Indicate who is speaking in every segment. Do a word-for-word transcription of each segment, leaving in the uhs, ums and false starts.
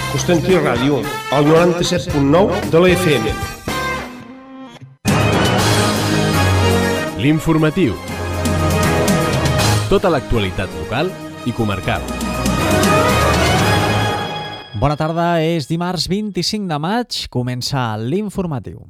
Speaker 1: Constantí Ràdio, al noranta-set punt nou de la F M.
Speaker 2: L'informatiu. Tota l'actualitat local i comarcal.
Speaker 3: Bona tarda, és dimarts vint-i-cinc de maig, comença l'informatiu.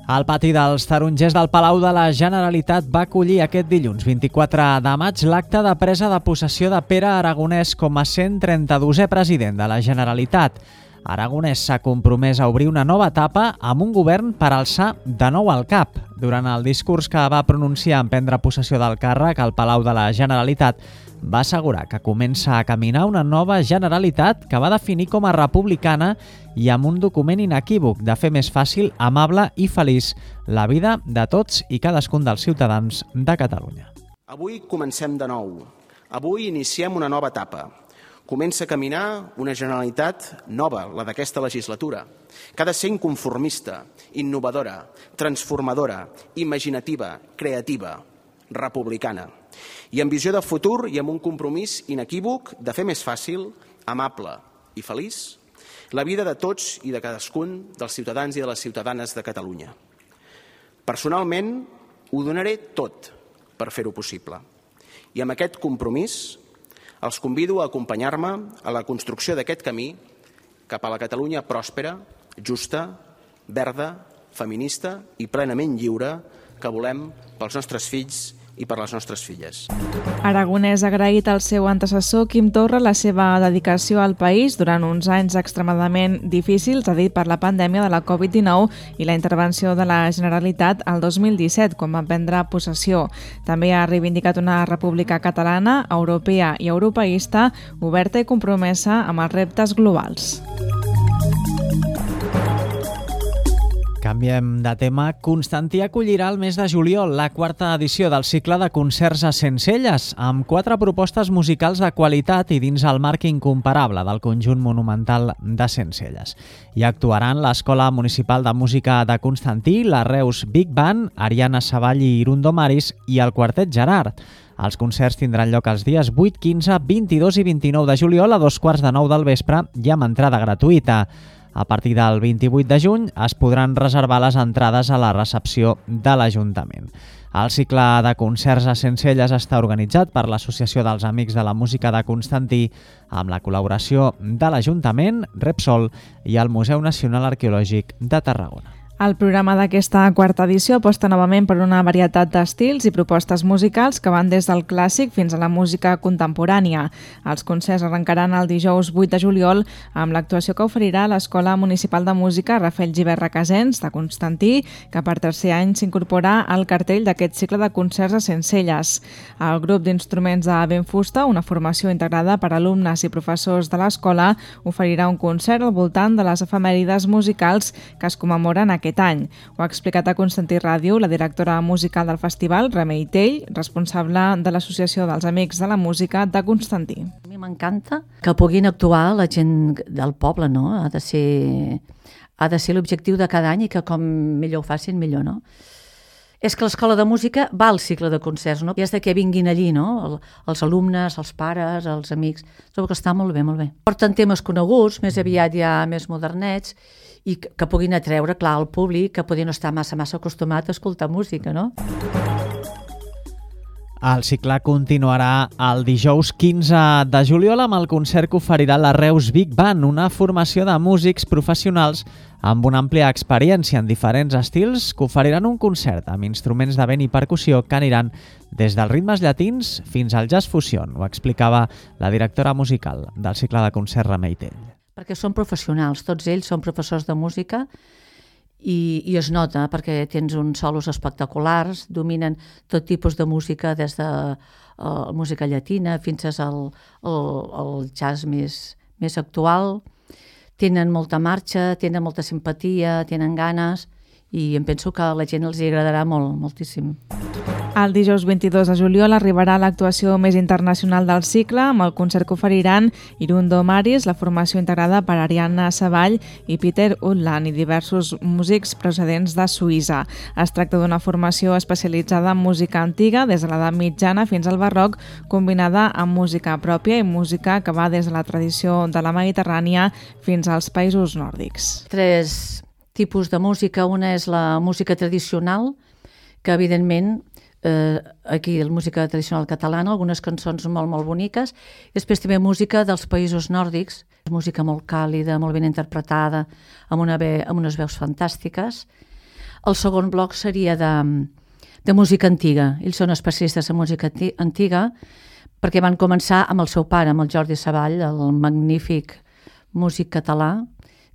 Speaker 3: El pati dels tarongers del Palau de la Generalitat va acollir aquest dilluns, vint-i-quatre de maig, l'acte de presa de possessió de Pere Aragonès com a cent trenta-dosè president de la Generalitat. Aragonès s'ha compromès a obrir una nova etapa amb un govern per alçar de nou el cap. Durant el discurs que va pronunciar en prendre possessió del càrrec al Palau de la Generalitat, va assegurar que comença a caminar una nova Generalitat que va definir com a republicana i amb un document inequívoc de fer més fàcil, amable i feliç la vida de tots i cadascun dels ciutadans de Catalunya.
Speaker 4: Avui comencem de nou. Avui iniciem una nova etapa. Comença a caminar una Generalitat nova, la d'aquesta legislatura, que ha de ser inconformista, innovadora, transformadora, imaginativa, creativa, republicana, i amb visió de futur i amb un compromís inequívoc de fer més fàcil, amable i feliç la vida de tots i de cadascun dels ciutadans i de les ciutadanes de Catalunya. Personalment, ho donaré tot per fer-ho possible. I amb aquest compromís els convido a acompanyar-me a la construcció d'aquest camí cap a la Catalunya pròspera, justa, verda, feminista i plenament lliure que volem pels nostres fills i per les nostres filles.
Speaker 5: Aragonès ha agraït al seu antecessor Quim Torra la seva dedicació al país durant uns anys extremadament difícils, ha dit, per la pandèmia de la covid dinou i la intervenció de la Generalitat el dos mil disset, quan va prendre possessió. També ha reivindicat una república catalana, europea i europeista, oberta i compromesa amb els reptes globals.
Speaker 3: Canviem de tema. Constantí acollirà el mes de juliol la quarta edició del cicle de concerts a Sencelles, amb quatre propostes musicals de qualitat i dins el marc incomparable del conjunt monumental de Sencelles. Hi actuaran l'Escola Municipal de Música de Constantí, la Reus Big Band, Ariana Savall i Irundo Maris i el Quartet Gerard. Els concerts tindran lloc els dies vuit, quinze, vint-i-dos i vint-i-nou de juliol a dos quarts de nou del vespre i amb entrada gratuïta. A partir del vint-i-vuit de juny es podran reservar les entrades a la recepció de l'Ajuntament. El cicle de concerts a Sencelles està organitzat per l'Associació dels Amics de la Música de Constantí amb la col·laboració de l'Ajuntament, Repsol i el Museu Nacional Arqueològic de Tarragona.
Speaker 5: El programa d'aquesta quarta edició aposta novament per una varietat d'estils i propostes musicals que van des del clàssic fins a la música contemporània. Els concerts arrencaran el dijous vuit de juliol amb l'actuació que oferirà l'Escola Municipal de Música Rafael Gibert Requesens de Constantí, que per tercer any s'incorpora al cartell d'aquest cicle de concerts a Sencelles. El grup d'instruments de Benfusta, una formació integrada per alumnes i professors de l'escola, oferirà un concert al voltant de les efemèrides musicals que es commemoren aquest aquest any. Ho ha explicat a Constantí Ràdio la directora musical del festival, Remei Tell, responsable de l'Associació dels Amics de la Música de Constantí.
Speaker 6: A mi m'encanta que puguin actuar la gent del poble, no? Ha de ser, ha de ser l'objectiu de cada any i que com millor ho facin, millor, no? És que l'escola de música va al cicle de concerts, no? I és de que vinguin allí, no? Els alumnes, els pares, els amics. Trobo que està molt bé, molt bé. Porten temes coneguts, més aviat ja més modernets, i que puguin atreure, clar, al públic, que podria no estar massa, massa acostumat a escoltar música, no?
Speaker 3: El cicle continuarà el dijous quinze de juliol amb el concert que oferirà la Reus Big Band, una formació de músics professionals amb una àmplia experiència en diferents estils que oferiran un concert amb instruments de vent i percussió que aniran des dels ritmes llatins fins al jazz fusion. Ho explicava la directora musical del cicle de concerts Remei Tell.
Speaker 6: Perquè són professionals, tots ells són professors de música i, i es nota perquè tens uns solos espectaculars, dominen tot tipus de música, des de uh, música llatina fins al, al, al jazz més, més actual. Tenen molta marxa, tenen molta simpatia, tenen ganes i em penso que a la gent els hi agradarà molt, moltíssim.
Speaker 5: El dijous vint-i-dos de juliol arribarà l'actuació més internacional del cicle amb el concert que oferiran Irundo Maris, la formació integrada per Ariadna Savall i Peter Utland i diversos músics procedents de Suïssa. Es tracta d'una formació especialitzada en música antiga des de l'edat mitjana fins al barroc, combinada amb música pròpia i música que va des de la tradició de la Mediterrània fins als països nòrdics.
Speaker 6: Tres tipus de música. Una és la música tradicional, que evidentment Eh, aquí la música tradicional catalana, algunes cançons molt, molt boniques. Després també música dels països nòrdics, música molt càlida, molt ben interpretada, amb, una ve, amb unes veus fantàstiques. El segon bloc seria de, de música antiga. Ells són especialistes en música antiga perquè van començar amb el seu pare, amb el Jordi Savall, el magnífic músic català,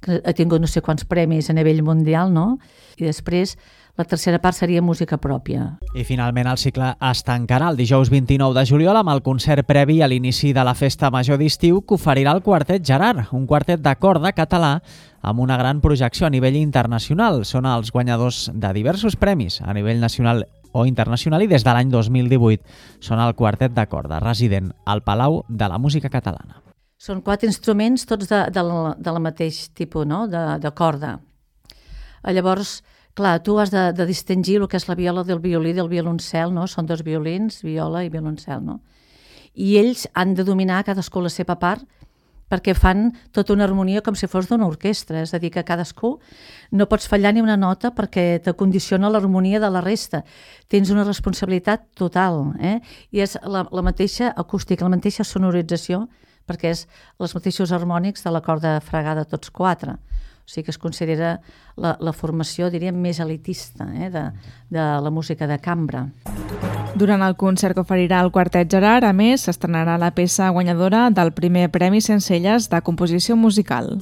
Speaker 6: que ha tingut no sé quants premis a nivell mundial, no? I després la tercera part seria música pròpia.
Speaker 3: I finalment el cicle es tancarà el dijous vint-i-nou de juliol amb el concert previ a l'inici de la festa major d'estiu que oferirà el Quartet Gerard, un quartet de corda català amb una gran projecció a nivell internacional. Són els guanyadors de diversos premis a nivell nacional o internacional i des de l'any dos mil divuit són el quartet de corda resident al Palau de la Música Catalana.
Speaker 6: Són quatre instruments, tots de, de, la, de la mateix tipus, no? de, de corda. Llavors, clar, tu has de, de distingir el que és la viola del violí del violoncel, no? Són dos violins, viola i violoncel, no? I ells han de dominar cadascú la seva part perquè fan tota una harmonia com si fos d'una orquestra, és a dir, que cadascú no pots fallar ni una nota perquè t'acondiciona l'harmonia de la resta. Tens una responsabilitat total, eh? I és la, la mateixa acústica, la mateixa sonorització, perquè és els mateixos harmònics de la corda fregada tots quatre. O sigui que es considera la, la formació, diríem, més elitista eh, de, de la música de cambra.
Speaker 5: Durant el concert que oferirà el Quartet Gerard, a més, s'estrenarà la peça guanyadora del primer Premi Sencelles de composició musical.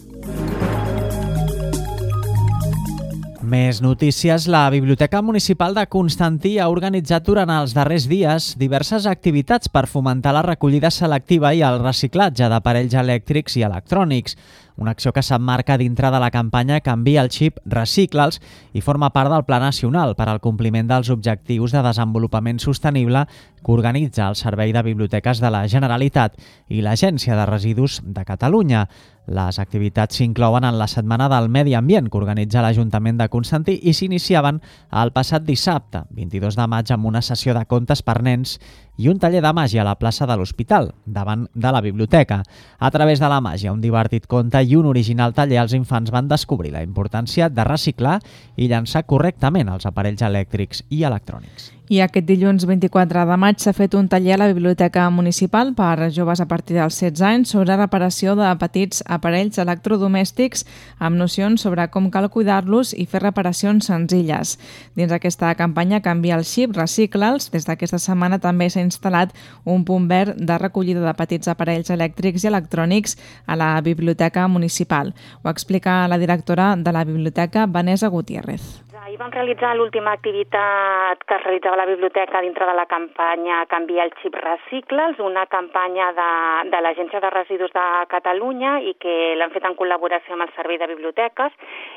Speaker 3: Més notícies. La Biblioteca Municipal de Constantí ha organitzat durant els darrers dies diverses activitats per fomentar la recollida selectiva i el reciclatge d'aparells elèctrics i electrònics. Una acció que s'emmarca dintre de la campanya Canvia el xip, recicla'ls i forma part del Pla Nacional per al compliment dels objectius de desenvolupament sostenible que organitza el Servei de Biblioteques de la Generalitat i l'Agència de Residus de Catalunya. Les activitats s'inclouen en la Setmana del Medi Ambient que organitza l'Ajuntament de Constantí i s'iniciaven el passat dissabte, vint-i-dos de maig, amb una sessió de contes per nens i un taller de màgia a la plaça de l'Hospital, davant de la biblioteca. A través de la màgia, un divertit conte i un original taller, els infants van descobrir la importància de reciclar i llançar correctament els aparells elèctrics i electrònics.
Speaker 5: I aquest dilluns vint-i-quatre de maig s'ha fet un taller a la Biblioteca Municipal per joves a partir dels setze anys sobre reparació de petits aparells electrodomèstics amb nocions sobre com cal cuidar-los i fer reparacions senzilles. Dins aquesta campanya Canvia el xip, recicla'ls, des d'aquesta setmana també s'ha instal·lat un punt verd de recollida de petits aparells elèctrics i electrònics a la Biblioteca Municipal. Ho explica la directora de la Biblioteca, Vanessa Gutiérrez.
Speaker 7: Ahir vam realitzar l'última activitat que es realitzava a la biblioteca dintre de la campanya Canvia el xip, recicla'ls, una campanya de, de l'Agència de Residus de Catalunya i que l'han fet en col·laboració amb el Servei de Biblioteques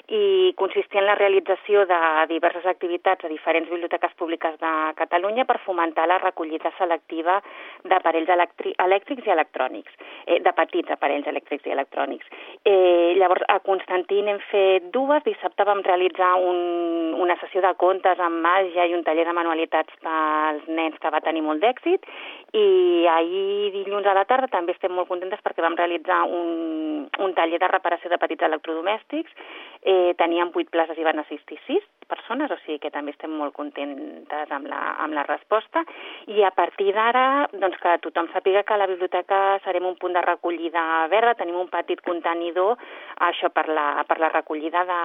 Speaker 7: i consistia en la realització de diverses activitats a diferents biblioteques públiques de Catalunya per fomentar la recollida selectiva d'aparells elèctrics i electrònics, eh, de petits aparells elèctrics i electrònics. Eh, llavors, a Constantí n'hem fet dues. Dissabte vam realitzar un una sessió de contes amb màgia i un taller de manualitats pels nens que va tenir molt d'èxit i ahir dilluns a la tarda també estem molt contentes perquè vam realitzar un, un taller de reparació de petits electrodomèstics. Eh, teníem vuit places i van assistir sis persones, o sigui que també estem molt contentes amb la, amb la resposta i a partir d'ara doncs que tothom sàpiga que a la biblioteca serem un punt de recollida verda, tenim un petit contenidor això per la, per la recollida de,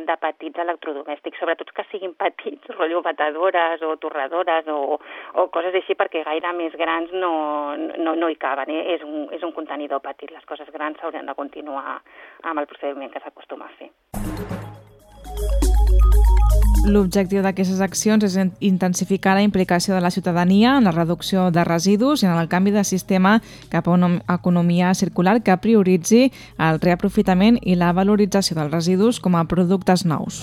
Speaker 7: de petits electrodomèstics, sobretot que siguin petits, rotllo batedores o torradores o, o coses així perquè gaire més grans no, no, no hi caben, eh? és, un, és un contenidor petit, les coses grans s'haurien de continuar amb el procediment que s'acostuma a fer.
Speaker 5: L'objectiu d'aquestes accions és intensificar la implicació de la ciutadania en la reducció de residus i en el canvi de sistema cap a una economia circular que prioritzi el reaprofitament i la valorització dels residus com a productes nous.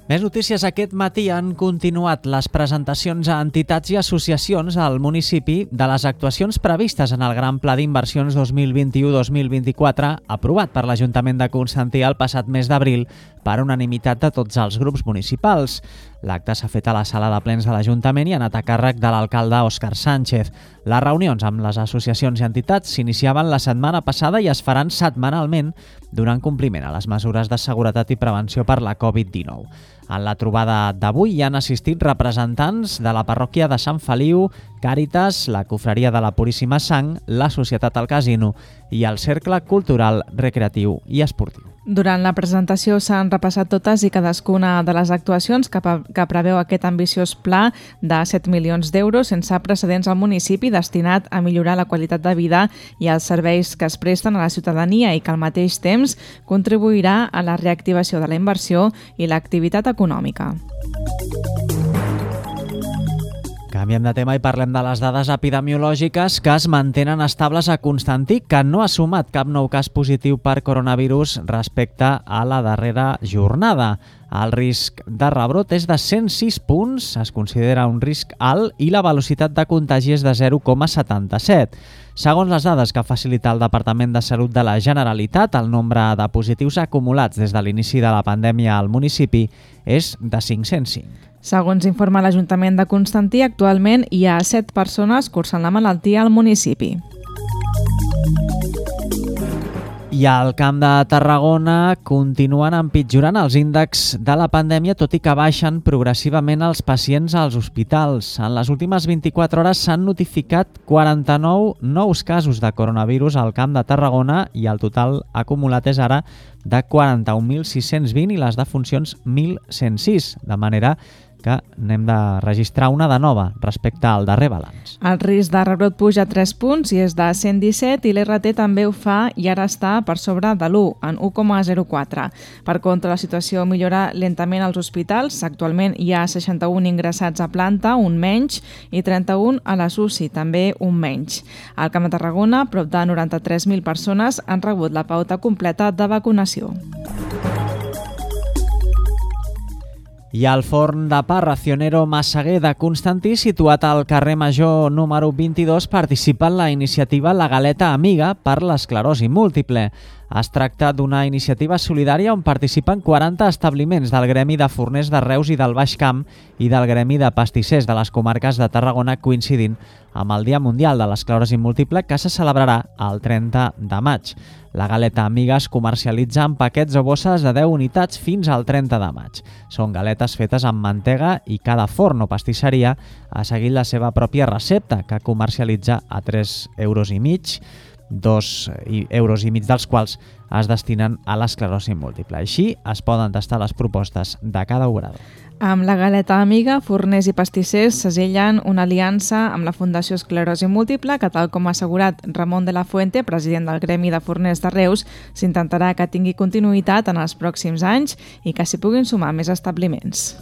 Speaker 3: Més notícies. Aquest matí han continuat les presentacions a entitats i associacions al municipi de les actuacions previstes en el Gran Pla d'Inversions dos mil vint-i-u dos mil vint-i-quatre, aprovat per l'Ajuntament de Constantí el passat mes d'abril per unanimitat de tots els grups municipals. L'acte s'ha fet a la sala de plens de l'Ajuntament i ha anat a càrrec de l'alcalde Òscar Sánchez. Les reunions amb les associacions i entitats s'iniciaven la setmana passada i es faran setmanalment, donant compliment a les mesures de seguretat i prevenció per la covid dinou. En la trobada d'avui hi han assistit representants de la parròquia de Sant Feliu, Càritas, la Cofreria de la Puríssima Sang, la Societat al Casino i el Cercle Cultural, Recreatiu i Esportiu.
Speaker 5: Durant la presentació s'han repassat totes i cadascuna de les actuacions que, que preveu aquest ambiciós pla de set milions d'euros sense precedents al municipi, destinat a millorar la qualitat de vida i els serveis que es presten a la ciutadania i que al mateix temps contribuirà a la reactivació de la inversió i l'activitat econòmica.
Speaker 3: Canviem de tema i parlem de les dades epidemiològiques que es mantenen estables a Constantí, que no ha sumat cap nou cas positiu per coronavirus respecte a la darrera jornada. El risc de rebrot és de cent sis punts, es considera un risc alt, i la velocitat de contagi és de zero coma setanta-set. Segons les dades que facilita el Departament de Salut de la Generalitat, el nombre de positius acumulats des de l'inici de la pandèmia al municipi és de cinc-cents cinc.
Speaker 5: Segons informa l'Ajuntament de Constantí, actualment hi ha set persones cursant la malaltia al municipi.
Speaker 3: I al Camp de Tarragona continuen empitjorant els índexs de la pandèmia, tot i que baixen progressivament els pacients als hospitals. En les últimes vint-i-quatre hores s'han notificat quaranta-nou nous casos de coronavirus al Camp de Tarragona i el total acumulat és ara de quaranta-un mil sis-cents vint i les defuncions mil cent sis, de manera que n'hem de registrar una de nova respecte al darrer balanç.
Speaker 5: El risc de rebrot puja tres punts i és de cent disset i l'R T també ho fa i ara està per sobre de l'u, en u coma zero quatre. Per contra, la situació millora lentament als hospitals. Actualment hi ha seixanta-un ingressats a planta, un menys, i trenta-un a les U C I, també un menys. Al Camp de Tarragona, prop de noranta-tres mil persones han rebut la pauta completa de vacunació.
Speaker 3: I al forn de pa Racionero Massaguer de Constantí, situat al carrer Major número vint-i-dos, participa en la iniciativa La Galeta Amiga per l'esclerosi múltiple. Es tracta d'una iniciativa solidària on participen quaranta establiments del Gremi de Forners de Reus i del Baix Camp i del Gremi de Pastissers de les comarques de Tarragona, coincidint amb el Dia Mundial de l'Esclerosi Múltiple, que se celebrarà el trenta de maig. La galeta Amiga es comercialitza en paquets o bosses de deu unitats fins al trenta de maig. Són galetes fetes amb mantega i cada forn o pastisseria ha seguit la seva pròpia recepta, que comercialitza a tres euros i mig, dos euros i mig dels quals es destinen a l'esclerosi múltiple. Així es poden tastar les propostes de cada obrador.
Speaker 5: Amb la Galeta Amiga, forners i pastissers segellen una aliança amb la Fundació Esclerosi Múltiple que, tal com ha assegurat Ramon de la Fuente, president del Gremi de Forners de Reus, s'intentarà que tingui continuïtat en els pròxims anys i que s'hi puguin sumar més establiments.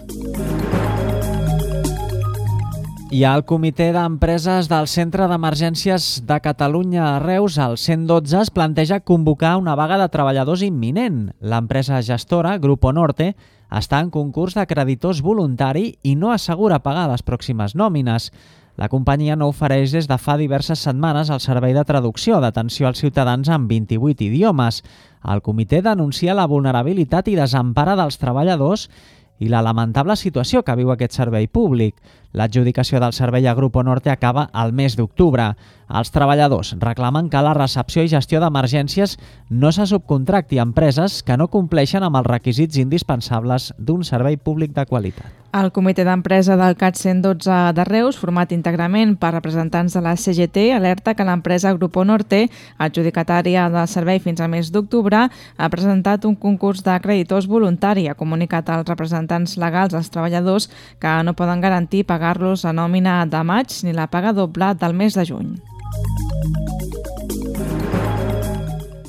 Speaker 3: I el Comitè d'Empreses del Centre d'Emergències de Catalunya a Reus, el cent dotze, es planteja convocar una vaga de treballadors imminent. L'empresa gestora, Grupo Norte, està en concurs de creditors voluntari i no assegura pagar les pròximes nòmines. La companyia no ofereix des de fa diverses setmanes el servei de traducció d'atenció als ciutadans en vint-i-vuit idiomes. El comitè denuncia la vulnerabilitat i desempara dels treballadors i la lamentable situació que viu aquest servei públic. L'adjudicació del servei a Grupo Norte acaba al mes d'octubre. Els treballadors reclamen que la recepció i gestió d'emergències no se subcontracti a empreses que no compleixen amb els requisits indispensables d'un servei públic de qualitat.
Speaker 5: El comitè d'empresa del C A T cent dotze de Reus, format íntegrament per representants de la C G T, alerta que l'empresa Grupo Norte, adjudicatària del servei fins al mes d'octubre, ha presentat un concurs de creditors voluntari. Ha comunicat als representants legals dels treballadors que no poden garantir pagar-los la nòmina de maig ni la paga doble del mes de juny.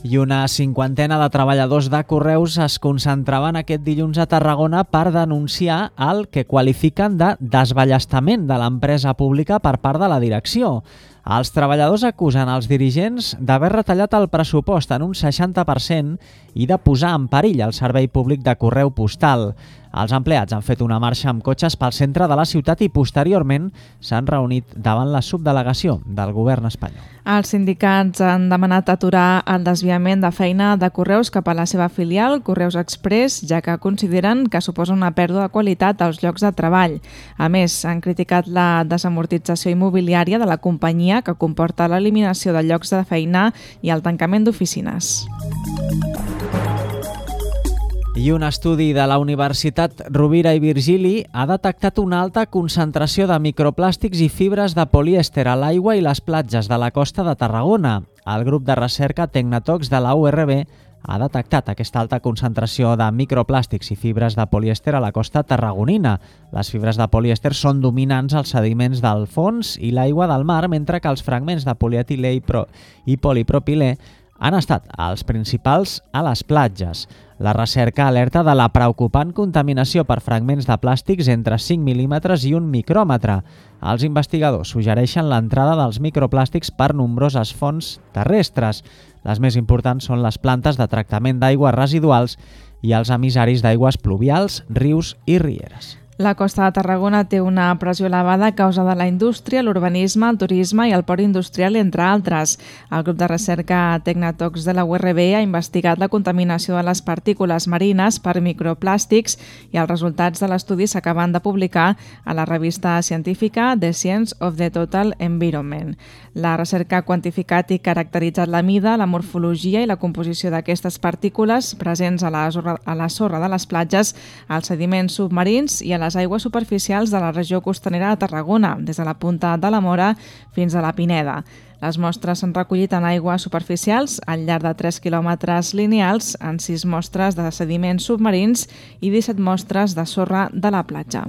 Speaker 3: I una cinquantena de treballadors de Correus es concentraven aquest dilluns a Tarragona per denunciar el que qualifiquen de desballestament de l'empresa pública per part de la direcció. Els treballadors acusen els dirigents d'haver retallat el pressupost en un seixanta per cent i de posar en perill el servei públic de correu postal. Els empleats han fet una marxa amb cotxes pel centre de la ciutat i posteriorment s'han reunit davant la subdelegació del govern espanyol.
Speaker 5: Els sindicats han demanat aturar el desviament de feina de Correus cap a la seva filial, Correus Express, ja que consideren que suposa una pèrdua de qualitat als llocs de treball. A més, han criticat la desamortització immobiliària de la companyia que comporta l'eliminació de llocs de feina i el tancament d'oficines.
Speaker 3: I un estudi de la Universitat Rovira i Virgili ha detectat una alta concentració de microplàstics i fibres de polièster a l'aigua i les platges de la costa de Tarragona. El grup de recerca Tecnatox de la U R B ha detectat aquesta alta concentració de microplàstics i fibres de polièster a la costa tarragonina. Les fibres de polièster són dominants als sediments del fons i l'aigua del mar, mentre que els fragments de polietilè i, pro i polipropilè han estat els principals a les platges. La recerca alerta de la preocupant contaminació per fragments de plàstics entre cinc mil·límetres i un micròmetre. Els investigadors suggereixen l'entrada dels microplàstics per nombroses fonts terrestres. Les més importants són les plantes de tractament d'aigües residuals i els emissaris d'aigües pluvials, rius i rieres.
Speaker 5: La costa de Tarragona té una pressió elevada a causa de la indústria, l'urbanisme, el turisme i el port industrial, entre altres. El grup de recerca Tecnatox de la U R B ha investigat la contaminació de les partícules marines per microplàstics i els resultats de l'estudi s'acaben de publicar a la revista científica The Science of the Total Environment. La recerca ha quantificat i caracteritzat la mida, la morfologia i la composició d'aquestes partícules presents a la, sorra, a la sorra de les platges, als sediments submarins i a les aigües superficials de la regió costanera de Tarragona, des de la punta de la Mora fins a la Pineda. Les mostres s'han recollit en aigües superficials al llarg de tres quilòmetres lineals, en sis mostres de sediments submarins i disset mostres de sorra de la platja.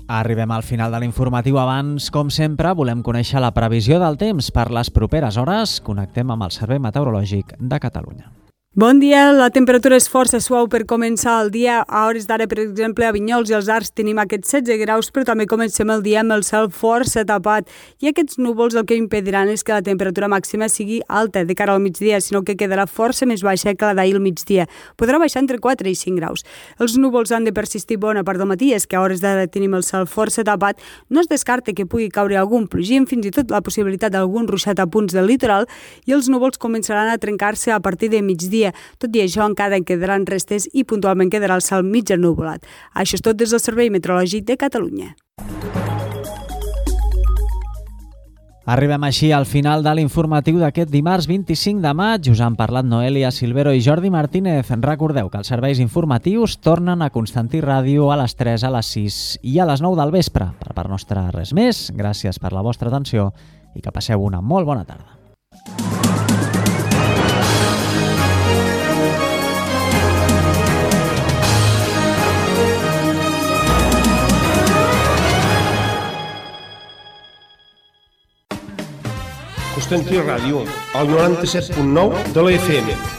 Speaker 3: Arribem al final de l'informatiu. Abans, com sempre, volem conèixer la previsió del temps per les properes hores. Connectem amb el Servei Meteorològic de Catalunya.
Speaker 8: Bon dia, la temperatura és força suau per començar el dia. A hores d'ara, per exemple, a Vinyols i els Arcs tenim aquests setze graus, però també comencem el dia amb el cel força tapat. I aquests núvols el que impediran és que la temperatura màxima sigui alta de cara al migdia, sinó que quedarà força més baixa que la d'ahir al migdia. Podrà baixar entre quatre i cinc graus. Els núvols han de persistir bona part del matí, és que a hores d'ara tenim el cel força tapat. No es descarta que pugui caure algun plogim, fins i tot la possibilitat d'algun ruixat a punts del litoral, i els núvols començaran a trencar-se a partir de migdia. Tot i això, encara en quedaran restes i puntualment quedarà el cel mig ennuvolat. Això és tot des del Servei Meteorològic de Catalunya.
Speaker 3: Arribem així al final de l'informatiu d'aquest dimarts vint-i-cinc de maig. Us han parlat Noelia Silvero i Jordi Martínez. Recordeu que els serveis informatius tornen a Constantí Ràdio a les tres, a les sis i a les nou del vespre. Per part nostra, res més. Gràcies per la vostra atenció i que passeu una molt bona tarda.
Speaker 1: Constantí Ràdio, al noranta-set punt nou de la F M.